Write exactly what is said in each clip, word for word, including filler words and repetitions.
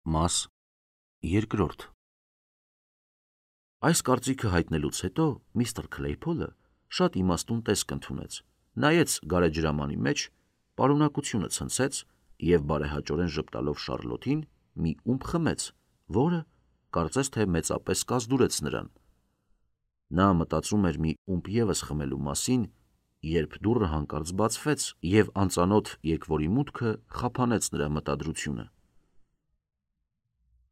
Մաս երկրորդ Այս կարծիքը հայտնելուց հետո միստր Քլեյփոլը շատ իմաստուն տեսք ընդունեց, նայեց գարեջրամանի մեջ, պարունակությունը ցնցեց և բարեհաճորեն ժպտալով Շառլոթին մի ումպ խմեց, որը կարծես թե մեծապես կազդուրեց նրան։ Նա մտածում էր մի ումպ ևս խմելու մասին, երբ դուռը հանկարծ բացվեց, և անծանոթ եկվորի մուտքը խափանեց նրա մտադրությունը։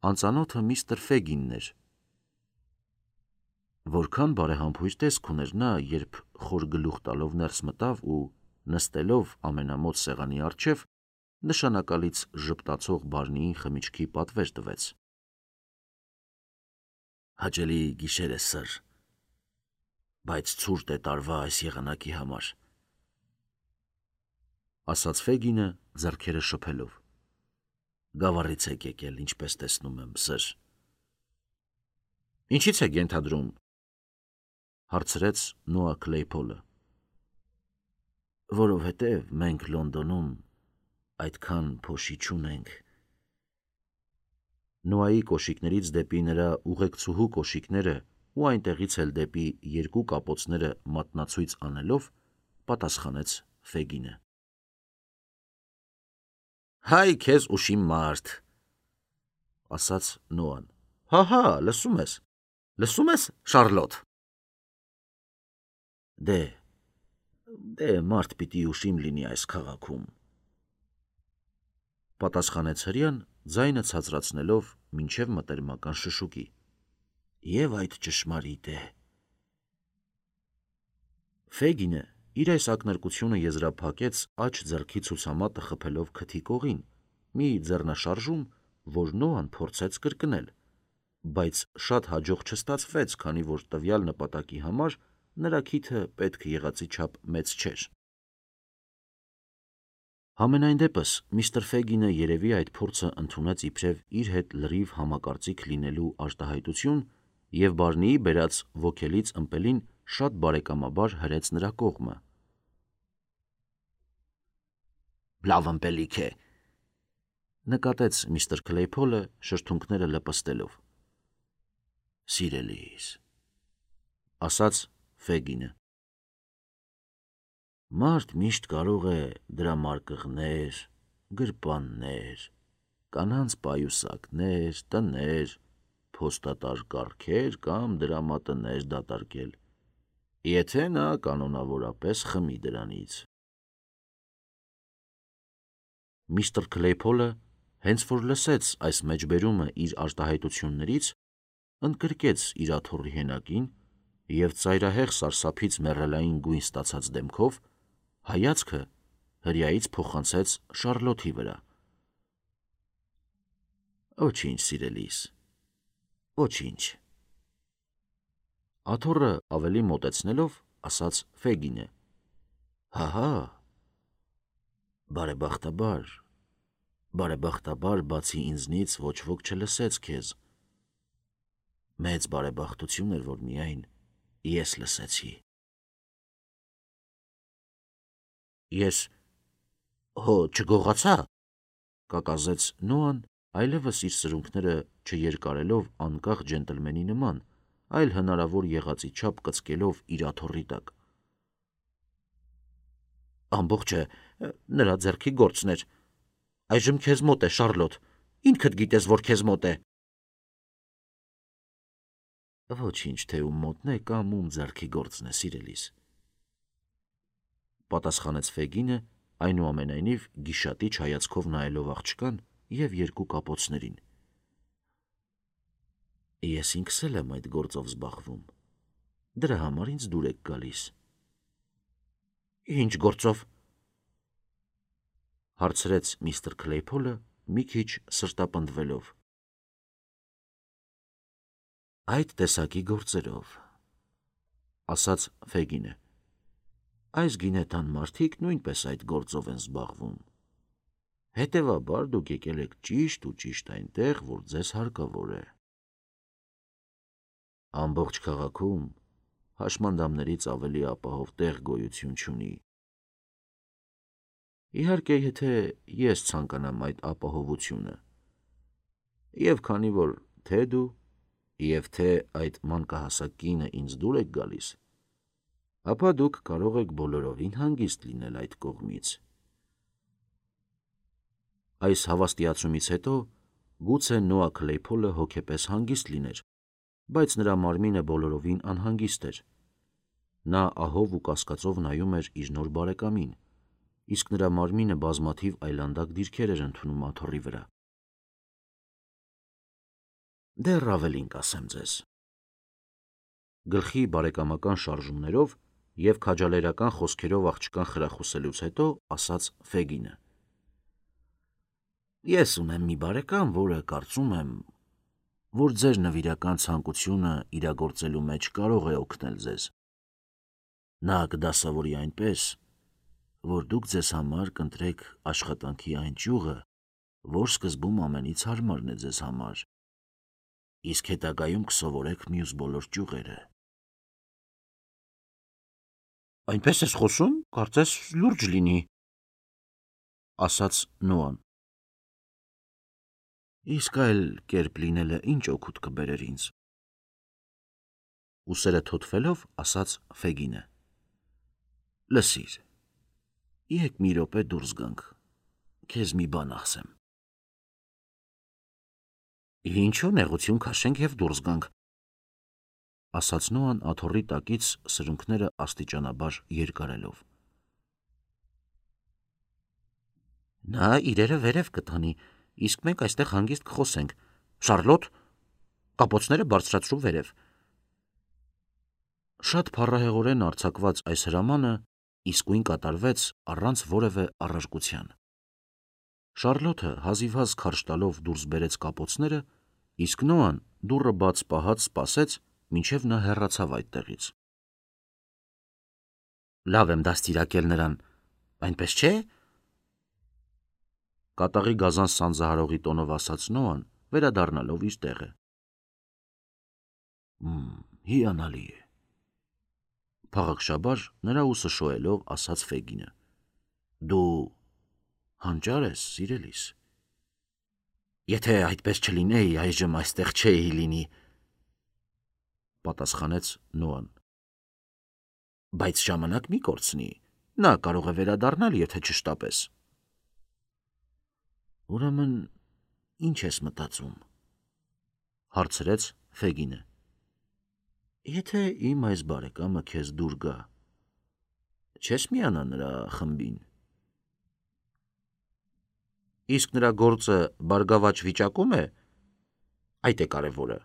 Անծանոթը միստր Ֆեգինն էր։ Որքան բարեհամբույր տեսք ուներ նա, երբ խոր գլուխ տալով ներս մտավ ու, նստելով ամենամոտ սեղանի առջև, նշանակալից ժպտացող Բարնիին խմիչքի պատվեր տվեց։ «Հաճելի գիշեր է, սըր, բայց ցուրտ է տարվա այս եղանակի համար», ասաց Ֆեգինը ձեռքերը շփելով։ «Գավառից եք եկել, ինչպես տեսնում եմ, սըր»։ «Ինչից եք ենթադրում», հարցրեց Նոա Քլեյփոլը։ «Որովհետև մենք Լոնդոնում այդքան փոշի չունենք»։ Նոայի կոշիկներից դեպի նրա ուղեկցուհու կոշիկները ու այնտեղից էլ դեպի երկու կապոցները մատնացույց անելով, պատասխանեց Ֆեգինը։ «Հայ քեզ ուշիմ մարդ», ասաց Նոան։ «Հա, հա, լսում ես, լսում ես, Շառլոթ»։ Դե, դե մարդ պիտի ուշիմ լինի այս քաղաքում, պատասխանեց հրեան, ձայնը ցածրացնելով մինչև մտերմական շշուկի։ Եվ այդ ճշմարիտ է։ Ֆեգինը իր այս ակնարկությունը եզրափակեց աջ ձեռքի ցուցամատը խփելով քթի կողին, մի ձեռնաշարժում, որ Նոան փորձեց կրկնել, բայց շատ հաջող չստացվեց, քանի որ տվյալ նպատակի համար նրա քիթը պետք եղածի չափ մեծ չէր։ Համենայն դեպս միստր Ֆեգինը երևի այդ փորձը ընդունեց իբրև իր հետ լրիվ համակարծիք լինելու արտահայտություն և Բարնիի բերած ոգելից ըմպելին շատ բարեկամաբար հրեց նրա կողմը։ «Լավ ըմպելիք է», նկատեց միստր Քլեյփոլը շրթունքները լպստելով։ «Սիրելիս», ասաց Ֆեգինը։ «Մարդ միշտ կարող է դրա մարկղներ, գրպաններ, կանանց պայուսակներ, տներ, փոստատար կառքեր կամ դրամատներ դատարկել, եթե նա կանոնավորապես խմի դրանից»։ Միստր Քլեյփոլը, հենց որ լսեց այս մեջբերումը իր արտահայտություններից, ընդգրկեց իր աթոռի հենակին և ծայրահեղ սարսափից մեռելային գույն ստացած դեմքով հայացքը հրեայից փոխանցեց Շառլոթի վրա։ «Ոչինչ, սիրելիս, ոչինչ», աթոռը ավելի մոտեցնելով, ասաց Ֆեգինը։ «Հա, հա, բարեբախտաբար, բարեբախտաբար բացի ինձնից ոչ ոք չլսեց քեզ։ Մեծ բարեբախտություն էր, որ միայն ես լսեցի»։ «Ես հո չգողացա», կակազեց Նոան, այլևս իր սրունքները չերկարելով անկախ ջենտլմենի նման, այլ հնարավոր եղածի չափ կծկելով իր աթոռի տակ։ «Ամբողջը նրա ձեռքի գործն էր։ Այժմ քեզ մոտ է, Շառլոթ, ինքդ գիտես, որ քեզ մոտ է»։ «Ոչինչ, թե ում մոտն է կամ ում ձեռքի գործն է, սիրելիս», պատասխանեց Ֆեգինը, այնուամենայնիվ գիշատիչ հայացքով նայելով աղջկան և երկու կապոցներին։ «Ես ինքս էլ եմ այդ գործով զբաղվում, դրա համար ինձ դուր եք գալիս»։ «Ինչ գործով», հարցրեց միստր Քլեյփոլը մի քիչ սրտապնդվելով։ «Այդ տեսակի գործերով», ասաց Ֆեգինը։ «Այս գինետան մարդիկ նույնպես այդ գործով են զբաղվում։ Հետևաբար դուք եկել եք ճիշտ ու ճիշտ այնտեղ, որ ձեզ հարկավոր է։ Ամբողջ քաղաքում հաշմանդամներից ավելի ապահով տեղ գոյություն չունի։ Իհարկե, եթե ես ցանկանամ այդ ապահովությունը, Եվ քանի որ թե դու եւ թե այդ մանկահասակ կինը ինձ դուր եք գալիս, ապա դուք կարող եք բոլորովին հանգիստ լինել այդ կողմից։ Այս հավաստիացումից հետո գուցե Նոա Քլեյփոլը հոգեպես հանգիստ լիներ, բայց նրա մարմինը բոլորովին անհանգիստ էր։ Նա ահով ու կասկածով նայում էր իր նոր բարեկամին, իսկ նրա մարմինը բազմաթիվ այլանդակ դիրքեր էր ընդունում աթոռի վրա։ Դեռ ավելին կասեմ ձեզ։ Գլխի բարեկամական շարժումներով եւ քաջալերական խոսքերով աղջկան խրախուսելուց հետո ասաց Ֆեգինը. Ես ունեմ մի բարեկամ, որը կարծում եմ, որ ձեր նվիրական ցանկությունը իրագործելու մեջ կարող է օգնել ձեզ։ Նա կդասավորի այնպես, որ դուք ձեզ համար կընտրեք աշխատանքի այն ճյուղը, որ սկզբում ամենից հարմարն է ձեզ համար, իսկ հետագայում կսովորեք մյուս բոլոր ճյուղերը։ Այնպես ես խոսում, կարծես լուրջ լինի, ասաց Նոան։ Իսկ այլ կերպ լինելը ինչ օգուտ կբերեր ինձ։ Ուսերը թոթվելով ասաց Ֆեգինը. Լսիր, եկ մի րոպե դուրս գանք, քեզ մի բան ասեմ։ Ինչու նեղություն քաշենք եւ դուրս գանք, ասաց Նոան աթոռի տակից սրունքները աստիճանաբար երկարելով։ Նա իրերը վերև կտանի, իսկ մենք այստեղ հանգիստ կխոսենք։ Շարլոտ, կապոցները բարձրացրու վերև։ Շատ փառահեղորեն արձակված այս հրամանը իսկույն կատարվեց առանց որևէ առարկության։ Շարլոթը հազիվհազ քարշ տալով դուրս բերեց կապոցները, իսկ Նոան դուռը բաց պահած սպասեց, մինչև նա հեռացավ այդտեղից։ Լավ եմ դաստիարակել նրան, այնպես չէ՞։ Կատաղի գազան սանձահարողի տոնով ասաց Նոան, վերադառնալով իր տեղը։ Հիանալի է։ Փաղաքշաբար նրա ուսը շոյելով ասաց Ֆեգինը. Դու հանճար ես, սիրելիս։ Եթե այդպես չլինեի, այժմ այստեղ չէի լինի, պատասխանեց Նոան։ Բայց ժամանակ մի կորցնի, նա կարող է վերադառնալ, եթե չշտապես։ Ուրեմն ինչ ես մտածում, հարցրեց Ֆեգինը։ Եթե իմ այս բարեկամը քեզ դուր գա, չես միանա նրա խմբին։ Իսկ նրա գործը բարգավաճ վիճակում է, այդ է կարևորը։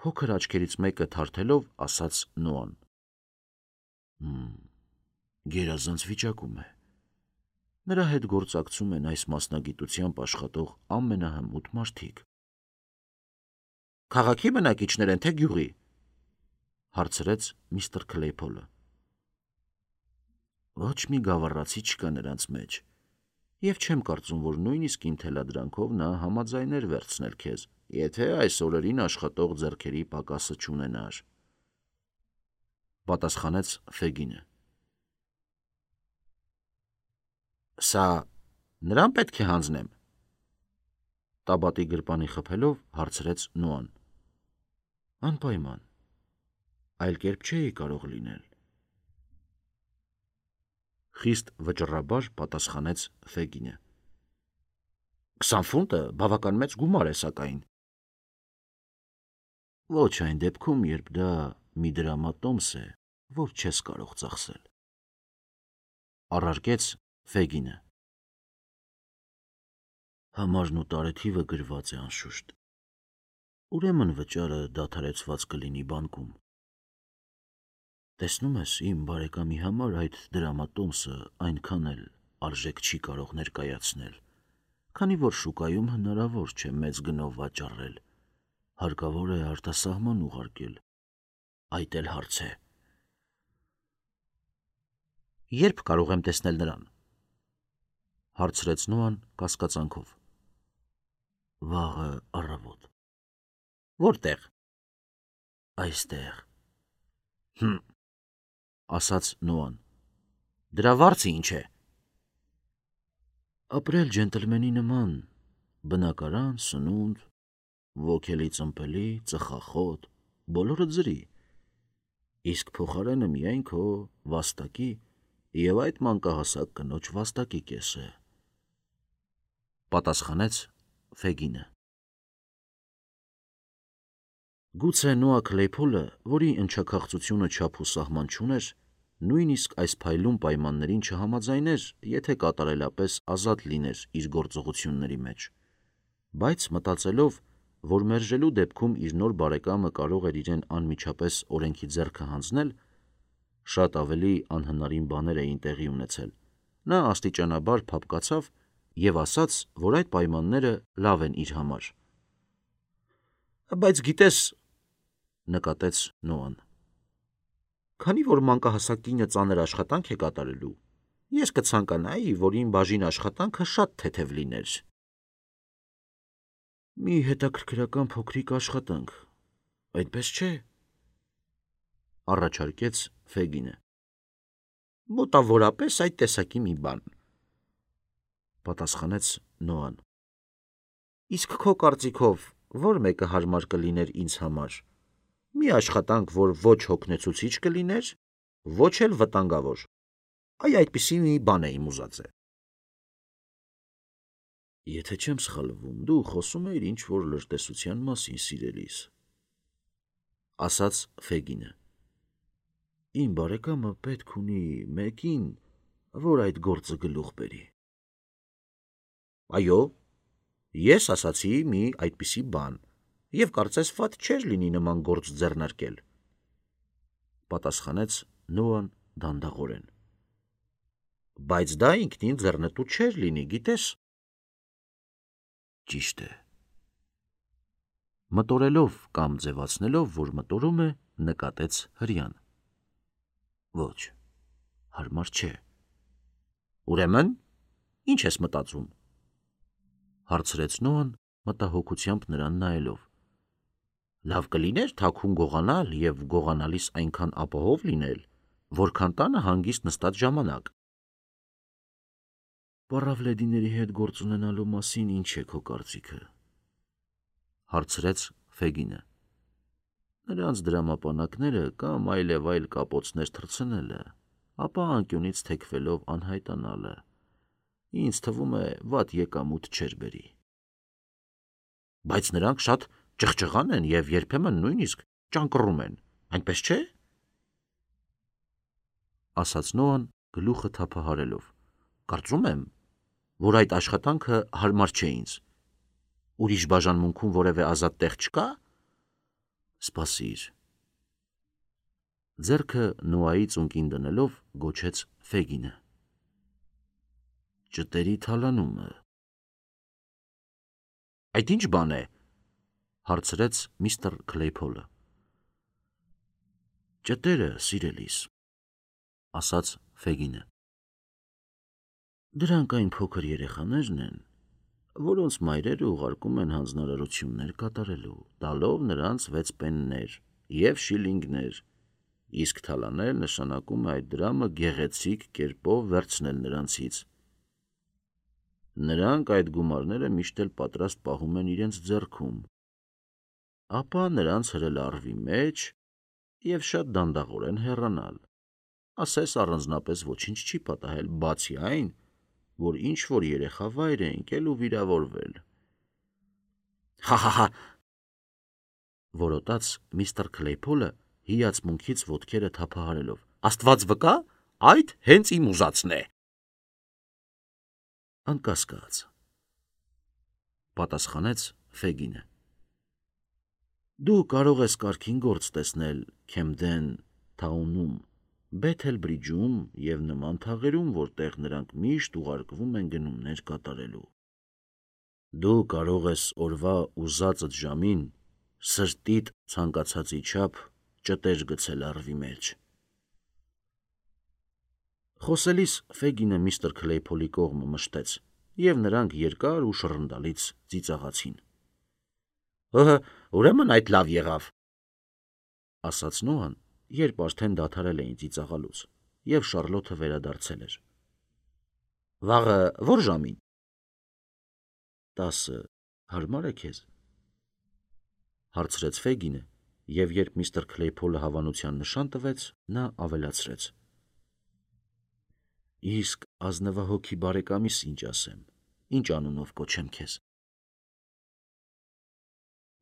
Փոքր աչքերից մեկը թարթելով ասաց Նոան. Գերազանց վիճակում է։ Նրա հետ գործակցում են այս մասնագիտությամբ աշխատող ամենահմուտ մարդիկ։ Քաղաքի բնակիչներ են, թե գյուղի, հարցրեց միստր Քլեյփոլը։ Ոչ մի գավառացի չկա նրանց մեջ, եւ չեմ կարծում, որ նույնիսկ իմ թելադրանքով նա համաձայներ վերցնել քեզ, եթե այս օրերին աշխատող ձեռքերի պակասը չունենար, պատասխանեց Ֆեգինը։ Սա նրան պետք է հանձնեմ, տաբատի գրպանի խփելով հարցրեց Նոան։ Անպայման, այլ կերպ չէի կարող լինել։ Խիստ վճռաբար պատասխանեց Ֆեգինը։ Քսան ֆունտը բավական մեծ գումար է, սակայն։ Ոչ այն դեպքում, երբ դա մի դրամատոմս է, որ չես կարող ծախսել, առարկեց Ֆեգինը։ Համարն ու տարեթիվը գրված է անշուշտ։ Ուրեմն վճարը դադարեցված կլինի բանկում։ Տեսնում ես, իմ բարեկամի համար այդ դրամատոմսը այնքան էլ արժեք չի կարող ներկայացնել, քանի որ շուկայում հնարավոր չէ մեծ գնով վաճառել, հարկավոր է արտասահման ուղարկել, այդ էլ հարց է։ Երբ կարող եմ տեսնել նրան, հարցրեց Նոան կասկածանքով։ Վաղը առավոտ։ Որտեղ։ Այստեղ։ Հմ, ասաց Նոան։ Դրա վարձը ինչ է։ Ապրել ջենտլմենի նման, Բնակարան, սնունդ, ոգելի ծմպելի, ծխախոտ, բոլորը ձրի, իսկ փոխարենը միայն քո վաստակի և այդ մանկահասակ կնոջ վաստակի կեսը, պատասխանեց Ֆեգինը։ Գուցե Նոա Քլեյփոլը, որի ընչաքաղցությունը չափ ու սահման չուներ, նույնիսկ այս փայլուն պայմաններին չհամաձայներ, եթե կատարելապես ազատ լիներ իր գործողությունների մեջ, բայց մտածելով, որ մերժելու դեպքում իր նոր բարեկամը կարող էր իրեն անմիջապես օրենքի ձեռքը հանձնել, շատ ավելի անհնարին բաներ էին տեղի ունեցել, նա աստիճանաբար փափկացավ և ասաց, որ այդ պայմանները լավ են իր համար։ Բայց գիտես, նկատեց Նոան, քանի որ մանկահասակ կինը ծանր աշխատանք է կատարելու, ես կցանկանայի, որ իմ բաժին աշխատանքը շատ թեթև լիներ։ Մի հետաքրքրական փոքրիկ աշխատանք, այդպես չէ՞, առաջարկեց Ֆեգինը։ Մոտավորապես այդ տեսակի մի բան, պատասխանեց Նոան։ Իսկ քո կարծիքով ո՞ր մեկը հարմար կլիներ ինձ համար։ Մի աշխատանք, որ ոչ հոգնեցուցիչ կլիներ, ոչ էլ վտանգավոր։ Այ այդպիսի մի բան էի ուզած է։ Եթե չեմ սխալվում, դու խոսում էիր ինչ-որ լրտեսության մասին, սիրելիս, ասաց Ֆեգինը։ Իմ բարեկամը պետք ունի մեկին, որ այդ գործը գլուխ բերի։ Այո, ես ասացի մի այդպիսի բան, և կարծես վատ չէր լինի նման գործ ձեռնարկել, պատասխանեց Նոան դանդաղորեն։ Բայց դա ինքնին ձեռնտու չէր լինի, գիտես։ Ճիշտ է։ Մտորելով կամ ձևացնելով, որ մտորում է, նկատեց հրեան։ Ոչ, հարմար չէ։ Ուրեմն, ինչ ես մտածում, հարցրեց Նոան մտահոգությամբ նրան նայելով։ Լավ կլիներ թաքուն գողանալ և գողանալիս այնքան ապահով լինել, որքան տանը հանգիստ նստած ժամանակ։ Պառավլեդիների հետ գործ ունենալու մասին ինչ է քո կարծիքը, հարցրեց Ֆեգինը։ Նրանց դրամապանակները կամ այլև այլ կապոցներ թռցնելը, ապա անկյունից թեքվելով անհայտանալը, ինձ թվում է վատ եկամուտ չէր բերի։ Բայց նրանք շատ ճղճղան են և երբեմն նույնիսկ ճանկռում են, այնպես չէ՞, ասաց Նոան գլուխը թափահարելով։ Կարծում եմ, որ այդ աշխատանքը հարմար չէ ինձ։ Ուրիշ բաժանմունքում որևէ ազատ տեղ չկա։ Սպասիր։ Ձեռքը Նոայի ծունկին դնելով գոչեց Ֆեգինը։ Ճտերի թալանումը։ Այդ ինչ բան է, հարցրեց միստր Քլեյփոլը։ Ճտերը, սիրելիս, ասաց Ֆեգինը։ Դրանք այն փոքր երեխաներն են, որոնց մայրերը ուղարկում են հանձնարարություններ կատարելու, տալով նրանց վեց պեններ և շիլինգներ, իսկ թալանել նշանակում է այդ դրամը գեղեցիկ կերպով վերցնել նրանցից։ Նրանք այդ գումարները միշտ էլ պատրաստ պահում են իրենց ձեռքում, ապա նրանց հրել առվի մեջ և շատ դանդաղորեն հեռանալ, ասես առանձնապես ոչինչ չի պատահել, բացի այն, որ ինչ-որ երեխա վայր է ընկել ու վիրավորվել։ Հա՛-հա՛-հա՛, որոտաց միստր Քլեյփոլը հիացմունքից ոտքերը թափահարելով։ Աստված վկա, այդ հենց իմ ուզածն է։ Անկասկած, պատասխանեց Ֆեգինը։ Դու կարող ես կարգին գործ տեսնել Քեմդեն Թաունում, Բեթել Բրիջում և նման թաղերում, որտեղ նրանք միշտ ուղարկվում են գնումներ կատարելու։ Դու կարող ես օրվա ուզածդ ժամին սրտիդ ցանկացածի չափ ճտեր գցել առվի մեջ։ Խոսելիս Ֆեգինը միստր Քլեյփոլի կողմը մշտեց, և նրանք երկար ու շռնդալից ծիծաղացին։ Ըհը, ուրեմն այդ լավ եղավ, ասաց Նոան, երբ արդեն դադարել էին ծիծաղալուց, և Շառլոթը վերադարձել էր։ Վաղը ո՞ր ժամին։ Տասը Հարմար է քեզ, հարցրեց Ֆեգինը, և երբ միստր Քլեյփոլը հավանության նշան տվեց, նա ավելացրեց. Իսկ ազնվահոգի բարեկամիս ինչ ասեմ, ինչ անունով կոչեմ քեզ։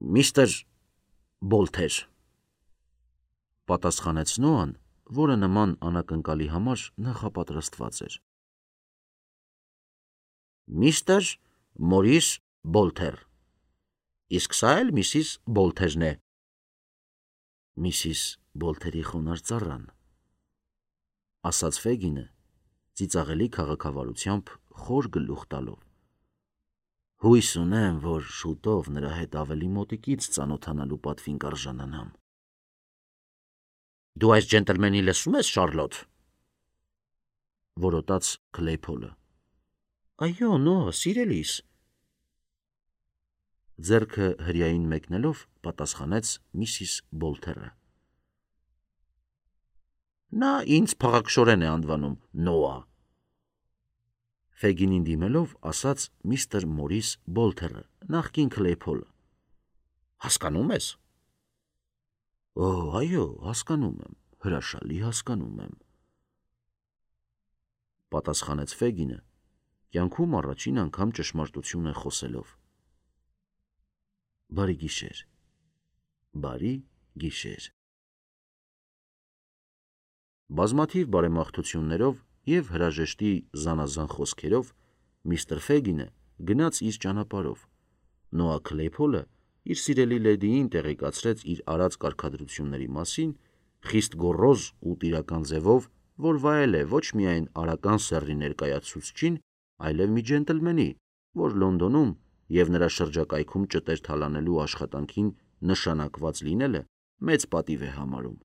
Միստր Բոլթեր, պատասխանեց Նոան, որը նման անակնկալի համար նախապատրաստված էր։ Միստր Մորիս Բոլթեր, իսկ սա էլ միսիս Բոլթերն է։ Միսիս Բոլթերի խոնարհ ծառան, ասաց Ֆեգինը, ծիծաղելի քաղաքավարությամբ խոր գլուխ տալով։ Հույս ունեմ, որ շուտով նրա հետ ավելի մոտիկից ծանոթանալու պատվին կարժանանամ։ Դու այս ջենտլմենին լսում ես, Շարլոտ, որոտաց Քլեյփոլը։ Այո, Նոա, սիրելիս, ձեռքը հրյային մեկնելով պատասխանեց միսիս Բոլթերը։ Նա ինձ փաղաքշորեն է անվանում Նոա, Ֆեգինին դիմելով ասաց միստր Մորիս Բոլթերը, նախկին Քլեյփոլը։ Հասկանում ես։ Օ, այո, հասկանում եմ, հրաշալի հասկանում եմ, պատասխանեց Ֆեգինը, կյանքում առաջին անգամ ճշմարտությունը խոսելով։ Բարի գիշեր, բարի գիշեր։ Բազմաթիվ բարեմաղթություններով և հրաժեշտի զանազան խոսքերով միստր Ֆեգինը գնաց իր ճանապարհով։ Նոա Քլեյփոլը իր սիրելի լեդիին տեղեկացրեց իր արած կարգադրությունների մասին, խիստ գոռոզ ու տիրական ձևով, որ վայել է ոչ միայն արական սեռի ներկայացուցչին, այլև մի ջենտլմենի, որ Լոնդոնում և նրա շրջակայքում ճտեր թալանելու աշխատանքին նշանակված լինելը մեծ պատիվ է համարում։